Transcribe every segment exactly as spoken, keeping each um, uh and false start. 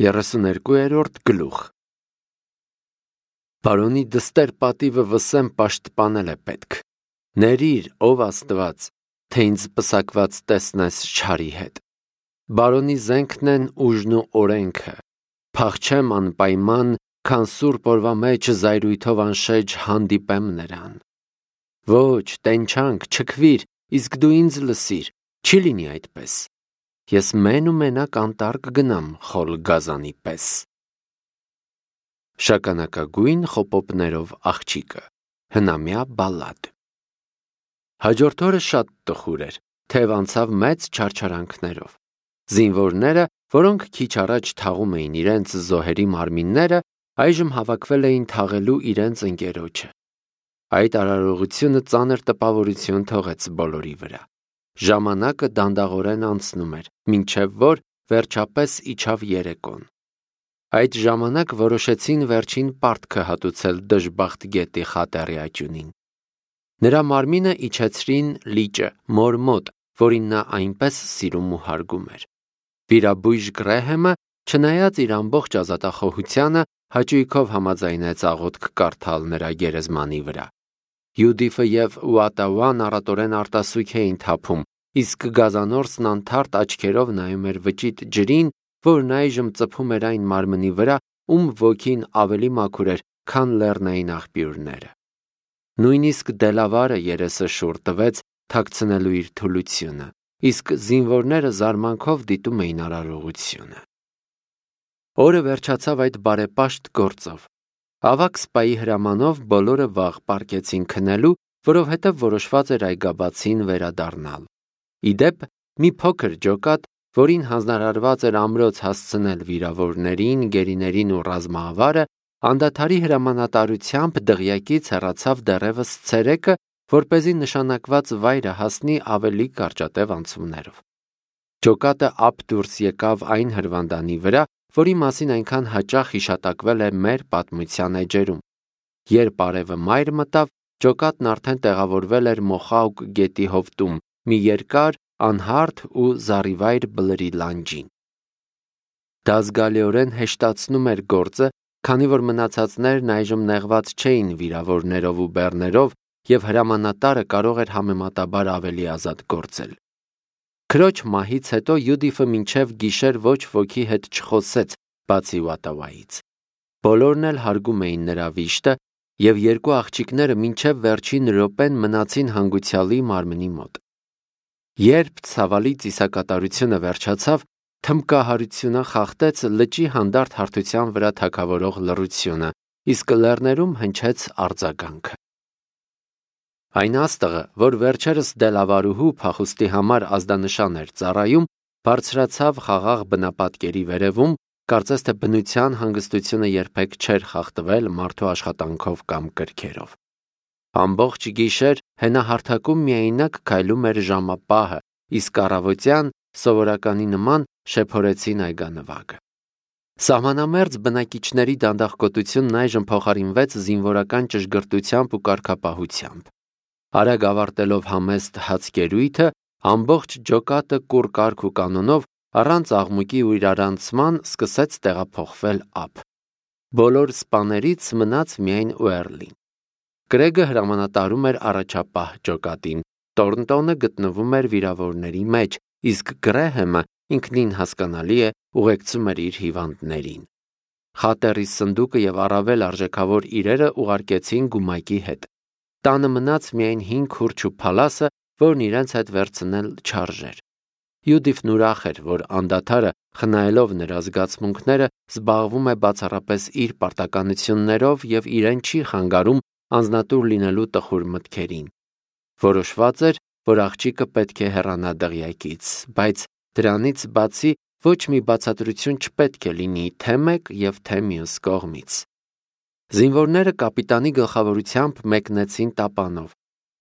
երեսուներկուերորդ գլուխ Բարոնի դստեր պատիվը վսեմ պաշտպանել է պետք։ Ներիր, ով Աստված, թե ինձ պսակված տեսնես չարի հետ։ Բարոնի զենքն են ուժն ու օրենքը։ Փախչեմ անպայման, քան սուրբ օրվա մեջ զայրույթով անշեջ հանդիպեմ նրան։ Ոչ, տենչանք, չքվիր, իսկ դու ինձ լսիր, չի լինի այդպես։ Ես մեն ու մենակ անտառ կգնամ խոլ գազանի պես։ Շագանակագույն խոպոպներով աղջիկը, հնամյա բալլադ։ Հաջորդ օրը շատ տխուր էր, թեև անցավ մեծ չարչարանքներով։ Զինվորները, որոնք քիչ առաջ թաղում էին իրենց զոհերի մարմինները, այժմ հավաքվել էին թաղելու իրենց ընկերոջը։ Այդ արարողությունը ծանր տպավորություն թողեց բոլորի վրա։ Ժամանակը դանդաղորեն անցնում էր, մինչև որ վերջապես իջավ երեկոն։ Այդ ժամանակ որոշեցին վերջին պարտքը հատուցել դժբախտ գետի խատեռի աճյունին։ Նրա մարմինը իջեցրին լիճը, մոր մոտ, որին նա այնպես սիրում ու հարգում էր։ Վիրաբույժ Գրեհեմը, չնայած իր ամբողջ ազատախոհությանը, հաճույքով համաձայնեց աղոթք կարդալ նրա գերեզմանի վրա։ Յուդիֆը և Ուատավան առատորեն արտասուք էին թափում, իսկ գազանորսն անթարթ աչքերով նայում էր վճիտ ջրին, որն այժմ ծփում էր այն մարմնի վրա, ում ոգին ավելի մաքուր էր, քան լեռնային աղբյուրները։ Նույնիսկ Դելավարը երեսը շուռ տվեց, թաքցնելու իր թուլությունը, իսկ զինվորները զարմանքով դիտում էին արարողությունը։ Օրը վերջացավ այդ բարեպաշտ գործով։ Ավագ սպայի հրամանով բոլորը վաղ պառկեցին քնելու, որովհետև որոշված էր այգաբացին վերադառնալ։ Ի դեպ, մի փոքր ջոկատ, որին հանձնարարված էր ամրոց հասցնել վիրավորներին, գերիներին ու ռազմավարը, անդադարի հրամանատարությամբ դղյակից հեռացավ դեռևս ցերեկը, որպեսզի նշանակված վայրը հասնի ավելի կարճատև անցումներով։ Ջոկատը ափ դուրս եկավ այն հրվանդանի վրա, որի մասին այնքան հաճախ հիշատակվել է մեր պատմության էջերում։ Երբ արևը մայր մտավ, ջոկատն արդեն տեղավորվել էր Մոխաուկ գետի հովտում, մի երկար, անհարթ ու զառիվայր բլրի լանջին։ Դա զգալիորեն հեշտացնում էր գործը, քանի որ մնացածներն այժմ նեղված չէին վիրավորներով ու բեռներով, և հրամանատարը կարող էր համեմատաբար ավելի ազատ գործել։ Քրոջ մահից հետո Յուդիֆը մինչև գիշեր ոչ ոքի հետ չխոսեց, բացի Ուատավայից։ Բոլորն էլ հարգում էին նրա վիշտը, և երկու աղջիկները մինչև վերջին րոպեն մնացին հանգուցյալի մարմնի մոտ։ Երբ ցավալի ծիսակատարությունը վերջացավ, թմբկահարությունը խախտեց լճի հանդարտ հարթության վրա թագավորող լռությունը, իսկ լեռներում հնչեց արձագանքը։ Այն աստղը, որ վերջերս Դելավարուհու փախուստի համար ազդանշան էր ծառայում, բարձրացավ խաղաղ բնապատկերի վերևում, կարծես թե բնության հանգստությունը երբեք չէր խախտվել մարդու աշխատանքով կամ կրքերով։ Ամբողջ գիշեր հենահարթակում միայնակ քայլում էր ժամապահը, իսկ առավոտյան, սովորականի նման, շեփորեցին այգանվագը։ Սահմանամերձ բնակիչների դանդաղկոտությունն այժմ փոխարինվեց զինվորական ճշգրտությամբ ու կարգապահությամբ։ Արագ ավարտելով համեստ հացկերույթը, ամբողջ ջոկատը կուռ կարգ ու կանոնով, առանց աղմուկի ու իրարանցման սկսեց տեղափոխվել ափ։ Բոլոր սպաներից մնաց միայն Ուերլին։ Կրեգը հրամանատարում էր առաջապահ ջոկատին, Տորնտոնը գտնվում էր վիրավորների մեջ, իսկ Գրեհեմը, ինքնին հասկանալի է, ուղեկցում էր իր հիվանդներին։ Խատեռի սնդուկը և առավել արժեքավոր իրերը ուղարկեցին գումակի հետ։ Տանը մնաց միայն հին քուրջ ու փալասը, որն իրենց հետ վերցնել չարժեր։ Յուդիֆն ուրախ էր, որ անդադարը, խնայելով նրա զգացմունքները, զբաղվում է բացառապես իր պարտականություններով և իրեն չի խանգարում անձնատուր լինելու տխուր մտքերին։ Որոշված էր, որ աղջիկը պետք է հեռանա դղյակից, բայց դրանից բացի ոչ մի բացատրություն չպետք է լինի թե մեկ և թե մյուս կողմից։ Զինվորները կապիտանի գլխավորությամբ մեկնեցին տապանով։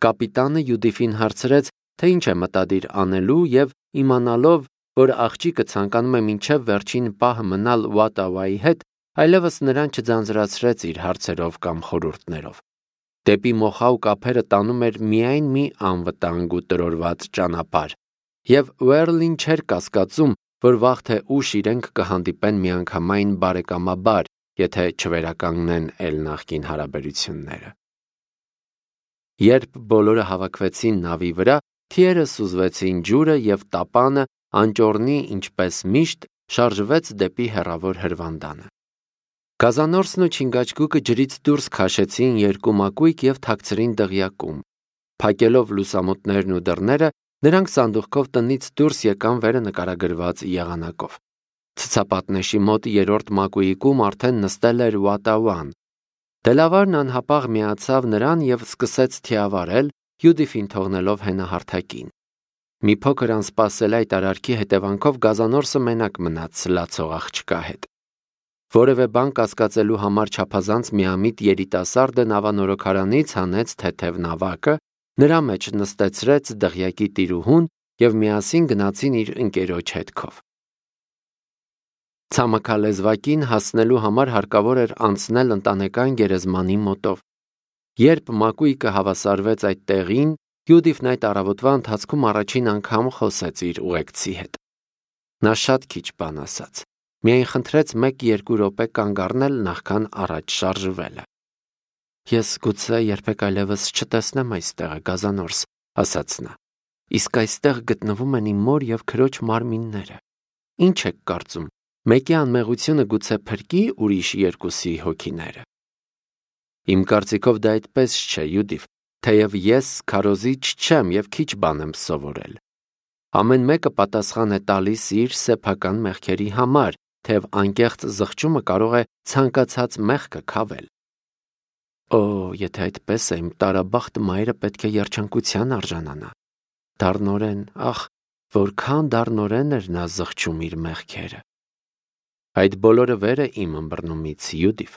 Կապիտանը Յուդիֆին հարցրեց, թե ինչ է մտադիր անելու, և իմանալով, որ աղջիկը ցանկանում է մինչև վերջին պահը մնալ Ուատավայի հետ, այլևս նրան չձանձրացրեց իր հարցերով կամ խորհուրդներով։ Դեպի Մոխաուկ ափերը տանում էր միայն մի անվտանգ ու տրորված ճանապարհ, և Ուերլին չէր կասկածում, որ վաղ թե ուշ իրենք կհանդիպեն միանգամայն բարեկամաբար, եթե չվերականգնեն էլ նախկին հարաբերությունները։ Երբ բոլորը հավաքվեցին նավի վրա, թիերը սուզվեցին ջուրը և տապանը անճոռնի, ինչպես միշտ, շարժվեց դեպի հեռավոր հրվանդանը։ Գազանորսն ու Չինգաչգուկը ջրից դուրս քաշեցին երկու մակույկ և թաքցրին դղյակում։ Փակելով լուսամուտներն ու դռները, նրանք սանդուղքով տնից դուրս եկան վերը նկարագրված եղանակով։ Ցցապատնեշի մոտ երրորդ մակույիկում արդեն նստել էր Ուատավան։ Դելավարն անհապաղ միացավ նրան և սկսեց թիավարել, Յուդիֆին թողնելով հենահարթակին։ Մի փոքր անսպասելի այդ արարքի հետևանքով Գազանորսը մենակ մնաց լացող աղջկա հետ։ Որևէ բան կասկածելու համար չափազանց միամիտ երիտասարդը նավանորոգարանից հանեց թեթև նավակը, նրա մեջ նստեցրեց դղյակի տիրուհուն և միասին գնացին իր ընկերոջ հետքով։ Ցամաքալեզվակին հասնելու համար հարկավոր էր անցնել ընտանեկան գերեզմանի մոտով։ Երբ մակույկը հավասարվեց այդ տեղին, Յուդիֆն այդ առավոտվա ընթացքում առաջին անգամ խոսեց իր ուղեկցի հետ։ Նա շատ քիչ բան ասաց, միայն խնդրեց մեկ-երկու րոպե կանգ առնել նախքան առաջ շարժվելը։ Ես գուցե երբեք այլևս չտեսնեմ այս տեղը, Գազանորս, ասաց նա, իսկ այստեղ գտնվում են իմ մոր և քրոջ մարմինները։ Ինչ եք կարծում, մեկի անմեղությունը գուցե փրկի ուրիշ երկուսի հոգիները։ Իմ կարծիքով դա այդպես չէ, Յուդիֆ, թեև ես քարոզիչ չեմ և քիչ բան եմ սովորել։ Ամեն մեկը պատասխան է տալիս իր սեփական մեղքերի համար, թեև անկեղծ զղջումը կարող է ցանկացած մեղքը քավել։ Օ, եթե այդպես է, իմ տարաբախտ մայրը պետք է երջանկության արժանանա։ Դառնորեն, ախ, որքան դառնորեն էր նա զղջում իր մեղքերը։ Այդ բոլորը վեր է իմ ըմբռնումից, Յուդիֆ։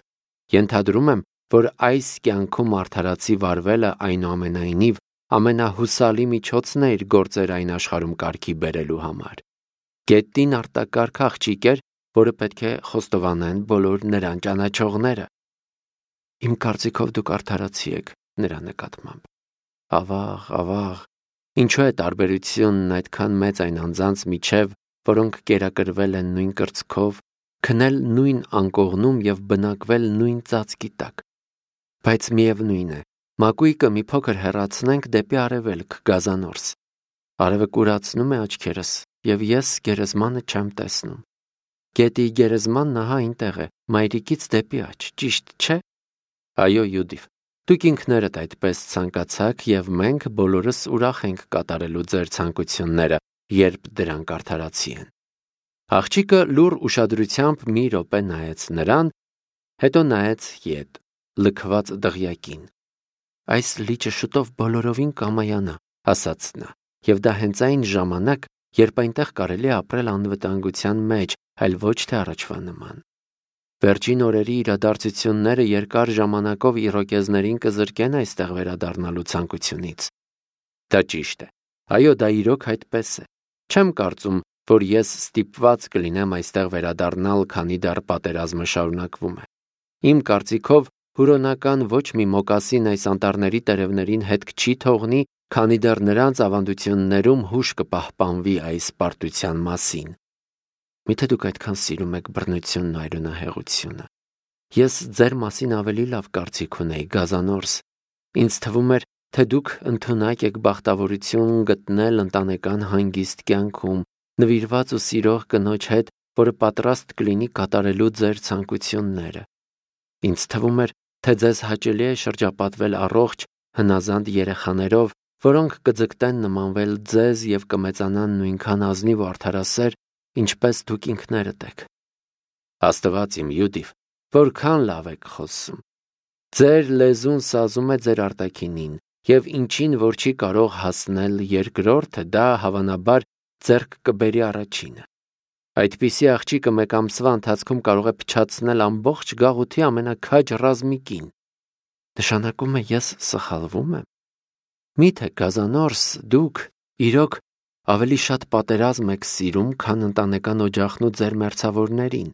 Ենթադրում եմ, որ այս կյանքում արդարացի վարվելը այնուամենայնիվ ամենահուսալի միջոցն է իր գործեր այն աշխարհում կարգի բերելու համար։ Գետին արտակարգ աղջիկ էր, որը պետք է խոստովանեն բոլոր նրան ճանաչողները։ Իմ կարծիքով դուք արդարացի եք նրա նկատմամբ։ Ավաղ, ավաղ, ինչու է տարբերությունն այդքան մեծ այն անձանց միջև, որոնք կերակրվել են նույն կրծքով, քնել նույն անկողնում և բնակվել նույն ծածկի տակ։ Բայց միևնույն է, մակույկը մի փոքր հեռացնենք դեպի արևելք, Գազանորս։ Արևը կուրացնում է աչքերս, և ես գերեզմանը չեմ տեսնում։ Գետի գերեզմանն ահա այնտեղ է, մայրիկից դեպի աջ, ճիշտ չէ։ Այո, Յուդիֆ, դուք ինքներդ այդպես ցանկացաք, և մենք բոլորս ուրախ ենք կատարելու ձեր ցանկությունները, երբ դրանք արդարացի են։ Աղջիկը լուռ ուշադրությամբ մի րոպե նայեց նրան, հետո նայեց ետ, լքված դղյակին։ Այս լիճը շուտով բոլորովին կամայանա, ասաց նա, և դա հենց այն ժամանակ, երբ այնտեղ կարելի է ապրել անվտանգության մեջ, այլ ոչ թե առաջվա նման։ Վերջին օրերի իրադարձությունները երկար ժամանակով իրոկեզներին կզրկեն այստեղ վերադառնալու ցանկությունից։ Դա ճիշտ է։ Այո, դա իրոք այդպես է։ Չեմ կարծում, որ ես ստիպված կլինեմ այստեղ վերադառնալ, քանի դեռ պատերազմը շարունակվում է։ Իմ կարծիքով հուրոնական ոչ մի մոկասին այս անտառների տերևներին հետք չի թողնի, քանի դեռ նրանց ավանդություններում հուշ կպահպանվի այս պարտության մասին։ Միթե դուք այդքան սիրում եք բռնությունն ու այրունահեղությունը։ Ես ձեր մասին ավելի լավ կարծիք ունեի, Գազանորս։ Ինձ թվում էր, թե դուք ընդունակ եք բախտավորություն գտնել ընտանեկան հանգիստ կյանքում, նվիրված ու սիրող կնոջ հետ, որը պատրաստ կլինի կատարելու ձեր ցանկությունները։ Ինձ թվում էր, թե ձեզ հաճելի է շրջապատվել առողջ, հնազանդ երեխաներով, որոնք կձգտեն նմանվել ձեզ և կմեծանան նույնքան ազնիվ ու արդարասեր, ինչպես դուք ինքներդ եք։ Աստված իմ, Յուդիֆ, որքան լավ եք խոսում։ Ձեր լեզուն սազում է ձեր արտաքինին, և ինչին որ չի կարող հասնել երկրորդը, դա հավանաբար ձեռք կբերի առաջինը։ Այդպիսի աղջիկը մեկ ամսվա ընթացքում կարող է փչացնել ամբողջ գաղութի ամենաքաջ ռազմիկին։ Նշանակում է ես սխալվում եմ։ Միթե Գազանորս, դուք իրոք ավելի շատ պատերազմ եք սիրում, քան ընտանեկան օջախն ու ձեր մերձավորներին։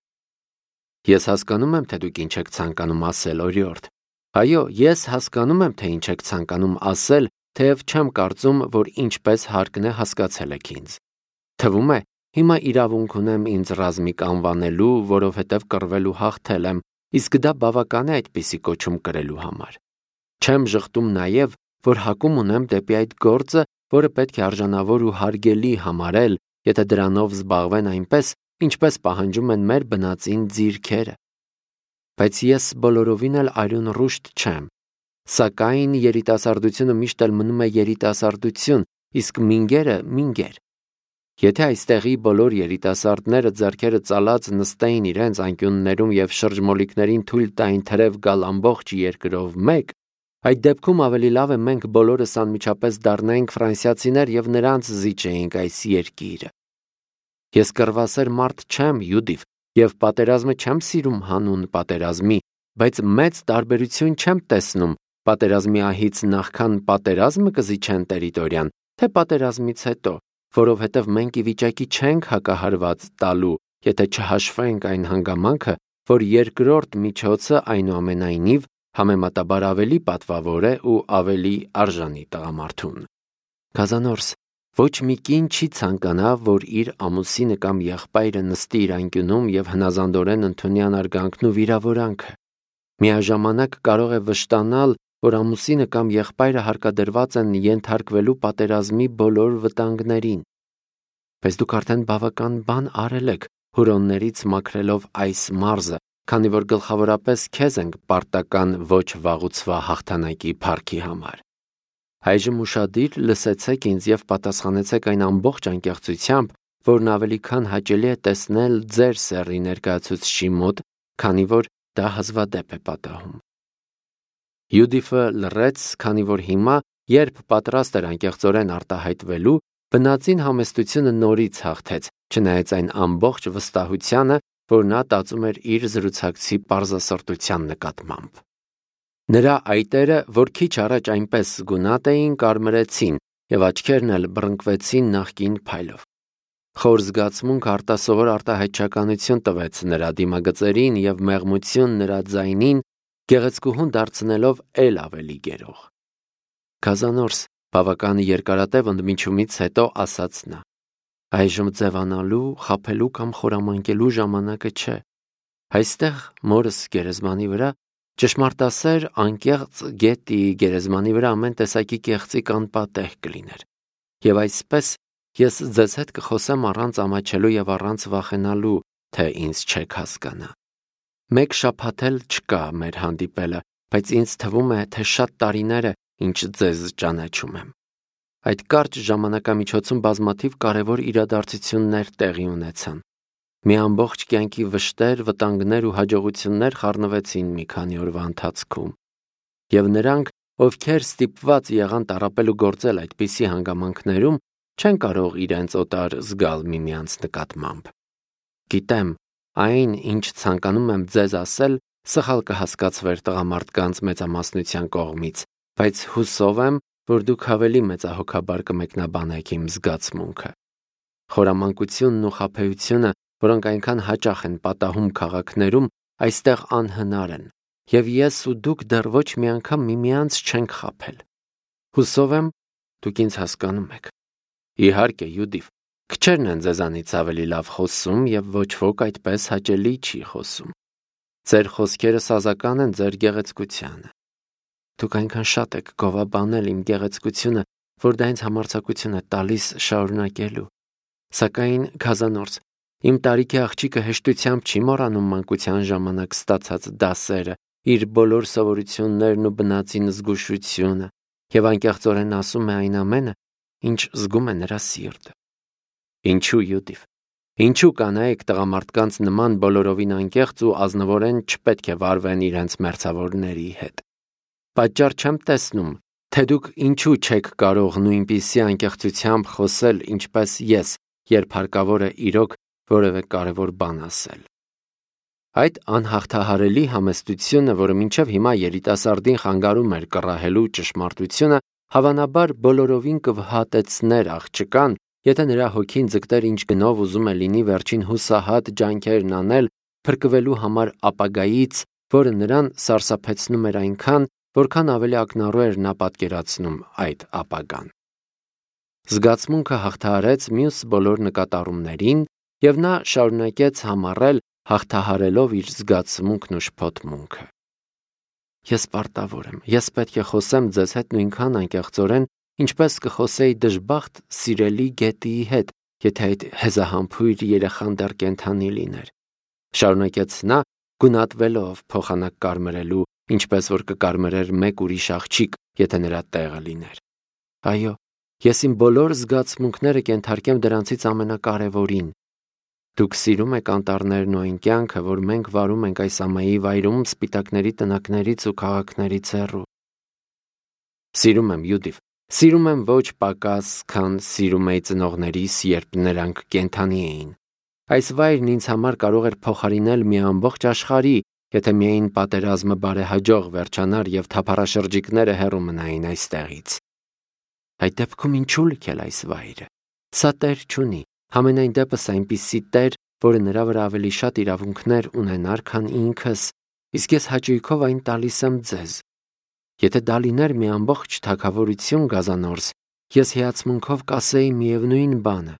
Ես հասկանում եմ, թե դուք ինչ եք ցանկանում ասել, օրիորդ։ Այո, ես հասկանում եմ, թե ինչ եք ցանկանում ասել, թեև չեմ կարծում, որ ինչպես հարկն է հասկացել եք ինձ։ Թվում է, հիմա իրավունք ունեմ ինձ ռազմիկ անվանելու, որովհետև կռվելու հաղթել եմ, իսկ դա բավական է այդպիսի կոչում կրելու համար։ Չեմ ժխտում նաև, որ հակում ունեմ դեպի այդ գործը, որը պետք է արժանավոր ու հարգելի համարել, եթե դրանով զբաղվեն այնպես, ինչպես պահանջում են մեր բնածին ձիրքերը։ Բայց ես բոլորովին էլ արյուն ռուշտ չեմ։ Սակայն երիտասարդությունը միշտ էլ մնում է երիտասարդություն, իսկ մինգերը մինգեր։ Եթե այստեղի բոլոր երիտասարդները ձեռքերը ծալած նստեին իրենց անկյուններում եւ շրջմոլիկներին թույլ տային թրև գալ ամբողջ երկրով մեկ, այդ դեպքում ավելի լավ է մենք բոլորս անմիջապես դառնայինք ֆրանսիացիներ եւ նրանց զիջեինք այս երկիրը։ Ես կռվասեր մարդ չեմ, Յուդիվ, եւ պատերազմը չեմ սիրում հանուն պատերազմի, բայց մեծ տարբերություն չեմ տեսնում պատերազմի ահից նախքան պատերազմը կզիջեն տերիտորիան, թե պատերազմից հետո, որովհետև մենք ի վիճակի չենք հակահարված տալու, եթե չհաշվենք այն հանգամանքը, որ երկրորդ միջոցը այնուամենայնիվ համեմատաբար ավելի պատվավոր է ու ավելի արժանի տղամարդուն։ Կազանորս, ոչ մի կին չի ցանկանա, որ իր ամուսինը կամ եղբայրը նստի իր անկյունում եւ հնազանդորեն ընդունի անարգանքն ու վիրավորանքը։ Միաժամանակ կարող է վշտանալ, որ ամուսինը կամ եղբայրը հարկադրված են ենթարկվելու պատերազմի բոլոր վտանգներին։ Բայց դուք արդեն բավական բան արել եք հուրոններից մաքրելով այս մարզը, քանի որ գլխավորապես քեզ ենք պարտական ոչ վաղուցվա հաղթանակի փառքի համար։ Այժմ ուշադիր լսեցեք ինձ եւ պատասխանեցեք այն ամբողջ անկեղծությամբ, որն ավելի քան հաճելի է տեսնել ձեր սեռի ներկայացուցչի մոտ, քանի որ դա հազվադեպ է պատահում։ Յուդիֆը լռեց, քանի որ հիմա, երբ պատրաստ էր անկեղծորեն արտահայտվելու, բնածին համեստությունը նորից հաղթեց, չնայած այն ամբողջ վստահությանը, որ նա տածում էր իր զրուցակցի պարզասրտության նկատմամբ։ Նրա այտերը, որ քիչ առաջ այնպես գունատ էին, կարմրեցին եւ աչքերն էլ բռնկվեցին նախկին փայլով։ Խոր զգացմունք արտասովոր արտահայտչականություն տվեց նրա դիմագծերին եւ մեղմություն նրա ձայնին, գեղեցկուհուն դարձնելով էլ ավելի գերող։ Կազանորս, բավական երկարատև ընդմիջումից հետո ասաց նա. այժմ ձևանալու, խաբելու կամ խորամանկելու ժամանակը չէ։ Այստեղ մորս գերեզմանի վրա ճշմարտասեր անկեղծ գետի գերեզմանի վրա ամեն տեսակի կեղծիկ անպատեհ կլիներ։ Եվ այսպես ես ձեզ հետ կխոսեմ առանց ամաչելու եւ առանց վախենալու, թե ինձ չեք հասկանա։ Մեկ շաբաթ էլ չկա մեր հանդիպելը, բայց ինձ թվում է, թե շատ տարիներ է, ինչ ձեզ ճանաչում եմ։ Այդ կարճ ժամանակամիջոցում բազմաթիվ կարևոր իրադարձություններ տեղի ունեցան։ Մի ամբողջ կյանքի վշտեր, վտանգներ ու հաջողություններ խառնվեցին մի քանի օրվա ընթացքում։ Եվ նրանք, ովքեր ստիպված եղան տառապել ու գործել այդպիսի հանգամանքներում, չեն կարող իրենց օտար զգալ միմյանց նկատմամբ։ Գիտեմ, այն, ինչ ցանկանում եմ ձեզ ասել, սխալ կհասկացվեր տղամարդկանց մեծամասնության կողմից, բայց հուսով եմ, որ դուք ավելի մեծահոգաբար կմեկնաբանեք իմ զգացմունքը։ Խորամանկությունն ու խաբեությունը, որոնք այնքան հաճախ են պատահում քաղաքներում, այստեղ անհնար են, եւ ես ու դուք դեռ ոչ մի անգամ միմյանց չենք խաբել։ Հուսով եմ, դուք ինձ հասկանում եք։ Իհարկե, Յուդիվ, քչերն են ձեզանից ավելի լավ խոսում եւ ոչ ոք այդպես հաճելի չի խոսում։ Ձեր խոսքերը սազական են ձեր գեղեցկությանը։ Դուք այնքան շատ եք գովաբանել իմ գեղեցկությունը, որ դա ինձ համարձակություն է տալիս շարունակելու։ Սակայն, Կազանորս, իմ տարիքի աղջիկը հեշտությամբ չի մոռանում մանկության ժամանակ ստացած դասերը, իր բոլոր սովորություններն ու բնածին զգուշությունը, եւ անկեղծորեն ասում է այն ամենը, ինչ զգում է նրա սիրտը։ Ինչու, Յուդիվ, ինչու կանայք տղամարդկանց նման բոլորովին անկեղծ ու ազնվորեն չպետք է վարվեն իրենց մերձավորների հետ։ Պատճառ չեմ տեսնում, թե դուք ինչու չեք կարող նույնպիսի անկեղծությամբ խոսել, ինչպես ես, երբ հարկավոր է իրոք որևէ կարևոր բան ասել։ Այդ անհաղթահարելի համեստությունը, որը մինչև հիմա երիտասարդին խանգարում էր կռահելու ճշմարտությունը, հավանաբար բոլորովին կվհատեցներ աղջկան, եթե նրա հոգին ձգտեր ինչ գնով ուզում է լինի վերջին հուսահատ ջանքերն անել փրկվելու համար ապագայից, որը նրան սարսափեցնում էր այնքան, որքան ավելի ակնառու էր նա պատկերացնում այդ ապագան։ Զգացմունքը հաղթահարեց մյուս բոլոր նկատառումներին և նա շարունակեց համառել հաղթահարելով իր զգացմունքն ու շփոթմունքը։ Ես պարտավոր եմ, ես պետք է խոսեմ ձեզ հետ նույնքան անկեղծորեն, ինչպես կխոսեի դժբախտ սիրելի գետիի հետ, եթե այդ հեզահամբույր երեխան դեռ կենդանի լիներ։ Շարունակեց նա, գունատվելով փոխանակ կարմրելու, ինչպես որ կկարմրեր մեկ ուրիշ աղջիկ, եթե նրա տեղը լիներ։ Այո, ես իմ բոլոր զգացմունքները կենթարկեմ դրանցից ամենակարևորին։ Դուք սիրում եք անտառներն ու այն կյանքը, որ մենք վարում ենք այս ամայի վայրում սպիտակների տնակներից ու քաղաքներից հեռու։ Սիրում եմ, Յուդիվ, սիրում եմ ոչ պակաս, քան սիրում էի ծնողներիս, երբ նրանք կենդանի էին։ Այս վայրն ինձ համար կարող էր փոխարինել մի ամբողջ աշխարհի, եթե միայն պատերազմը բարեհաջող վերջանար և թափառաշրջիկները հեռու մնային այստեղից։ Այդ դեպքում ինչու լքել այս վայրը։ Սա տեր չունի, համենայն դեպս այնպիսի տեր, որը նրա վրա ավելի շատ իրավունքներ ունենար, քան ինքս, իսկ ես հաճույքով այն տալիս եմ ձեզ։ Եթե դա լիներ մի ամբողջ թագավորություն գազանորս, ես հիացմունքով կասեի միևնույն բանը։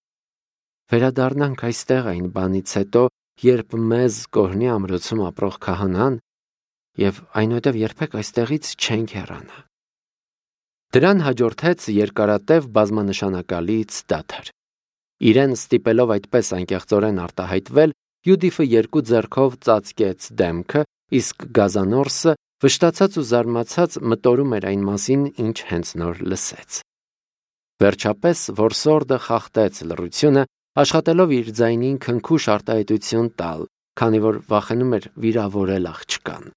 Վերադառնանք այստեղ այն բանից հետո, երբ մեզ կօրհնի ամրոցում ապրող քահանան, և այնուհետև երբեք այստեղից չենք հեռանա։ Դրան հաջորդեց երկարատև բազմանշանակալից դադար։ Իրեն ստիպելով այդպես անկեղծորեն արտահայտվել, Յուդիֆը երկու ձեռքով ծածկեց դեմքը, իսկ գազանորսը վշտացած ու զարմացած մտորում էր այն մասին, ինչ հենց նոր լսեց։ Վերջապես որսորդը խախտեց լռությունը, աշխատելով իր ձայնին քնքուշ արտահայտություն տալ, քանի որ վախենում էր վիրավորել աղջկան։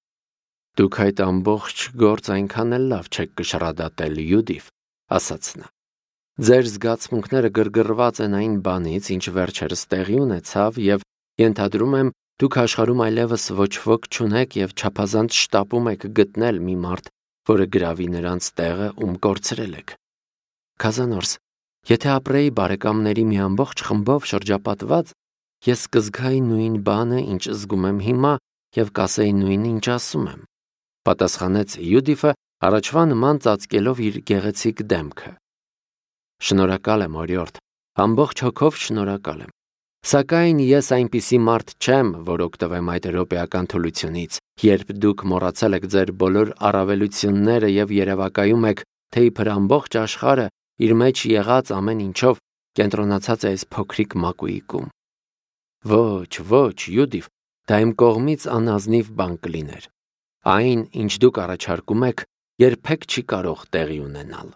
Դուք այդ ամբողջ գործ այնքան էլ լավ չեք կշռադատել, Յուդիվ, ասաց նա։ Ձեր զգացմունքները գրգռված են այն բանից, ինչ վերջերս տեղի ունեցավ, և ենթադրում եմ, դուք աշխարհում այլևս ոչ ոք չունեք և չափազանց շտապում եք գտնել մի մարդ, որը գրավի նրանց տեղը, ում կորցրել եք։ Գազանորս, եթե ապրեի բարեկամների մի ամբողջ խմբով շրջապատված, ես կզգայի նույն բանը, ինչ զգում եմ հիմա, և կասեի նույնը, ինչ ասում եմ, պատասխանեց Յուդիֆը, առաջվա նման ծածկելով իր գեղեցիկ դեմքը։ Շնորհակալ եմ, օրիորդ, ամբողջ հոգով շնորհակալ եմ։ Սակայն ես այնպիսի մարդ չեմ, որ օգտվեմ այդ րոպեական թուլությունից, երբ դուք մոռացել եք ձեր բոլոր առավելությունները և երևակայում եք, թե իբր ամբողջ աշխարհը իր մեջ եղած ամեն ինչով կենտրոնացած է այս փոքրիկ մակույկում։ Ոչ, ոչ, Յուդիվ, դա իմ կողմից անազնիվ բան կլիներ։ Այն, ինչ դուք առաջարկում եք, երբեք չի կարող տեղի ունենալ։